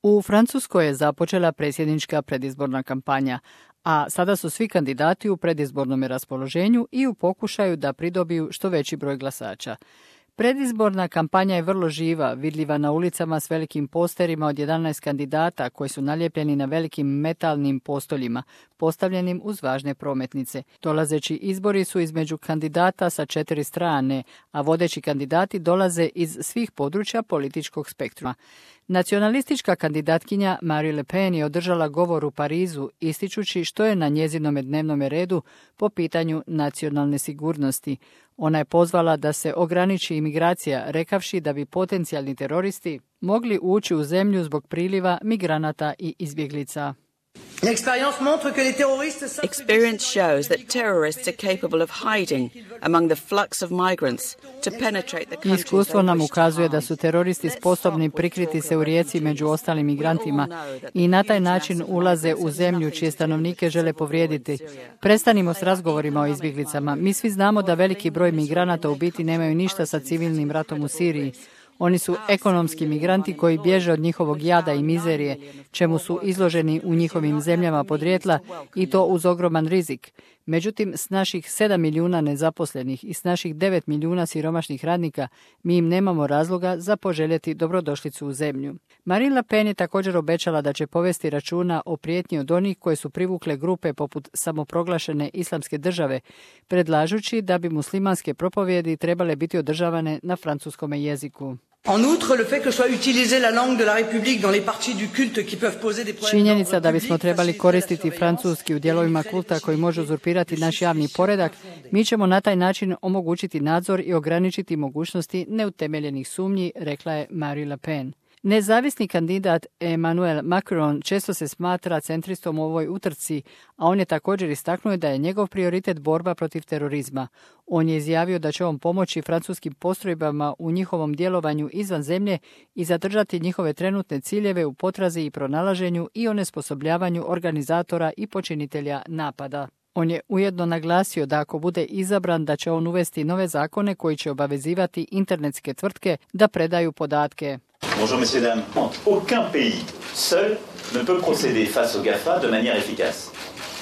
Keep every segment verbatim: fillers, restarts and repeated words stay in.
U Francuskoj je započela predsjednička predizborna kampanja, a sada su svi kandidati u predizbornom raspoloženju i u pokušaju da pridobiju što veći broj glasača. Predizborna kampanja je vrlo živa, vidljiva na ulicama s velikim posterima od jedanaest kandidata koji su nalijepljeni na velikim metalnim postoljima, postavljenim uz važne prometnice. Dolazeći izbori su između kandidata sa četiri strane, a vodeći kandidati dolaze iz svih područja političkog spektruma. Nacionalistička kandidatkinja Marine Le Pen je održala govor u Parizu, ističući što je na njezinome dnevnome redu po pitanju nacionalne sigurnosti. Ona je pozvala da se ograniči imigracija, rekavši da bi potencijalni teroristi mogli ući u zemlju zbog priliva migranata i izbjeglica. Experience shows that terrorists are capable of hiding among the flux of migrants to penetrate the countries. Iskustvo nam ukazuje da su teroristi sposobni prikriti se u rijeci među ostalim migrantima i na taj način ulaze u zemlju čije stanovnike žele povrijediti. Prestanimo s razgovorima o izbjeglicama. Mi svi znamo da veliki broj migranata u biti nemaju ništa sa civilnim ratom u Siriji. Oni su ekonomski migranti koji bježe od njihovog jada i mizerije, čemu su izloženi u njihovim zemljama podrijetla i to uz ogroman rizik. Međutim, s naših sedam milijuna nezaposlenih i s naših devet milijuna siromašnih radnika, mi im nemamo razloga za poželjeti dobrodošlicu u zemlju. Marine Le Pen je također obećala da će povesti računa o prijetnji od onih koje su privukle grupe poput samoproglašene islamske države, predlažući da bi muslimanske propovjedi trebale biti održavane na francuskom jeziku. En outre, le fait que soit utilisée la langue de la République dans les parties du culte qui peuvent poser des problèmes. Činjenica da bismo trebali koristiti francuski u dijelovima kulta koji može uzurpirati naš javni poredak, mi ćemo na taj način omogućiti nadzor i ograničiti mogućnosti neutemeljenih sumnji, rekla je Marine Le Pen. Nezavisni kandidat Emmanuel Macron često se smatra centristom u ovoj utrci, a on je također istaknuo da je njegov prioritet borba protiv terorizma. On je izjavio da će on pomoći francuskim postrojbama u njihovom djelovanju izvan zemlje i zadržati njihove trenutne ciljeve u potrazi i pronalaženju i onesposobljavanju organizatora i počinitelja napada. On je ujedno naglasio da ako bude izabran da će on uvesti nove zakone koji će obavezivati internetske tvrtke da predaju podatke. Bonjour messieurs dames. Aucun pays seul ne peut procéder face aux GAFA de manière efficace.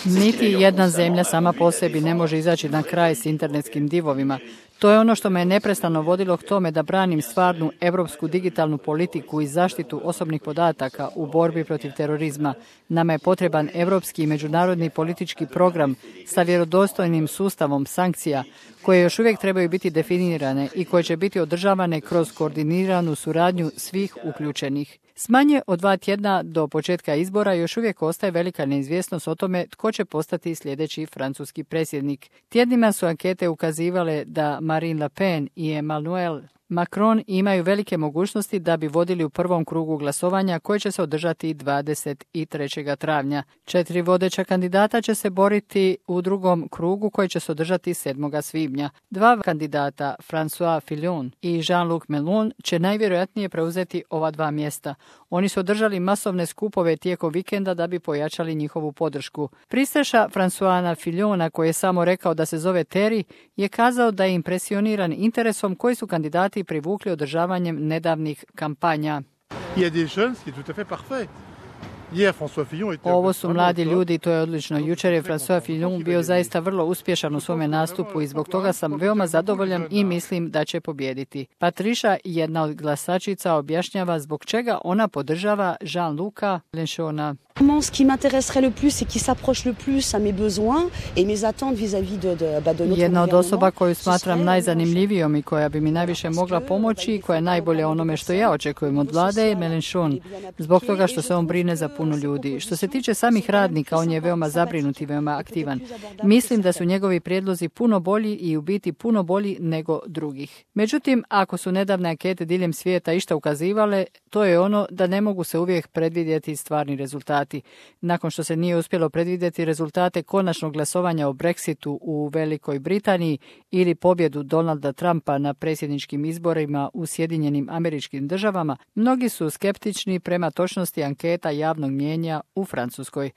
Niti jedna zemlja sama po sebi ne može izaći na kraj s internetskim divovima. To je ono što me je neprestano vodilo k tome da branim stvarnu europsku digitalnu politiku i zaštitu osobnih podataka u borbi protiv terorizma. Nama je potreban europski i međunarodni politički program sa vjerodostojnim sustavom sankcija koje još uvijek trebaju biti definirane i koje će biti održavane kroz koordiniranu suradnju svih uključenih. S manje od dva tjedna do početka izbora još uvijek ostaje velika neizvjesnost o tome tko će postati sljedeći francuski predsjednik. Tjednima su ankete ukazivale da Marine Le Pen i Emmanuel Macron imaju velike mogućnosti da bi vodili u prvom krugu glasovanja koje će se održati dvadeset trećeg travnja. Četiri vodeća kandidata će se boriti u drugom krugu koji će se održati sedmog svibnja. Dva kandidata, François Fillon i Jean-Luc Mélenchon, će najvjerojatnije preuzeti ova dva mjesta. Oni su održali masovne skupove tijekom vikenda da bi pojačali njihovu podršku. Pristaša Françoisa Fillona, koji je samo rekao da se zove Terry, je kazao da je impresioniran interesom koji su kandidati privukli održavanjem nedavnih kampanja. Ovo su mladi ljudi i to je odlično. Jučer je François Fillon bio zaista vrlo uspješan u svome nastupu i zbog toga sam veoma zadovoljan i mislim da će pobijediti. Patricia, jedna od glasačica, objašnjava zbog čega ona podržava Jean-Luca Mélenchona. Ce qui m'intéresserait le plus et qui s'approche le plus à mes besoins et mes attentes vis-à-vis de, de, bah, de notre Jedna od osoba koju smatram najzanimljivijom i koja bi mi najviše mogla pomoći i koja je najbolje onome što ja očekujem od vlade je Mélenchon, zbog toga što se on brine za puno ljudi. Što se tiče samih radnika, on je veoma zabrinut i veoma aktivan. Mislim da su njegovi prijedlozi puno bolji i u biti puno bolji nego drugih. Međutim, ako su nedavne ankete diljem svijeta išta ukazivale, to je ono da ne mogu se uvijek predvidjeti stvarni rezultati. Nakon što se nije uspjelo predvidjeti rezultate konačnog glasovanja o Brexitu u Velikoj Britaniji ili pobjedu Donalda Trumpa na predsjedničkim izborima u Sjedinjenim Američkim Državama, mnogi su skeptični prema točnosti anketa javnog nacionalnog mijenja u Francuskoj.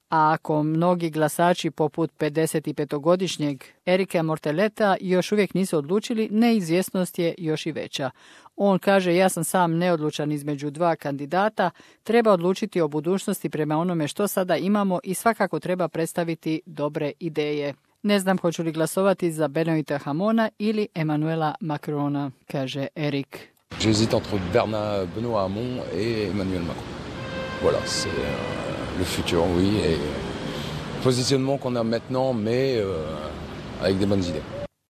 A ako mnogi glasači poput pedesetpetogodišnjeg Erika Morteleta još uvijek nisu odlučili, neizvjesnost je još i veća. On kaže, ja sam sam neodlučan između dva kandidata, treba odlučiti o budućnosti prema onome što sada imamo i svakako treba predstaviti dobre ideje. Ne znam hoću li glasovati za Benoita Hamona ili Emmanuela Macrona, kaže Erik. J'hésite entre Bernard Benoît Hamon et Emmanuel Macron. Voilà, c'est euh, le futur, oui, et le positionnement qu'on a maintenant, mais euh, avec des bonnes idées.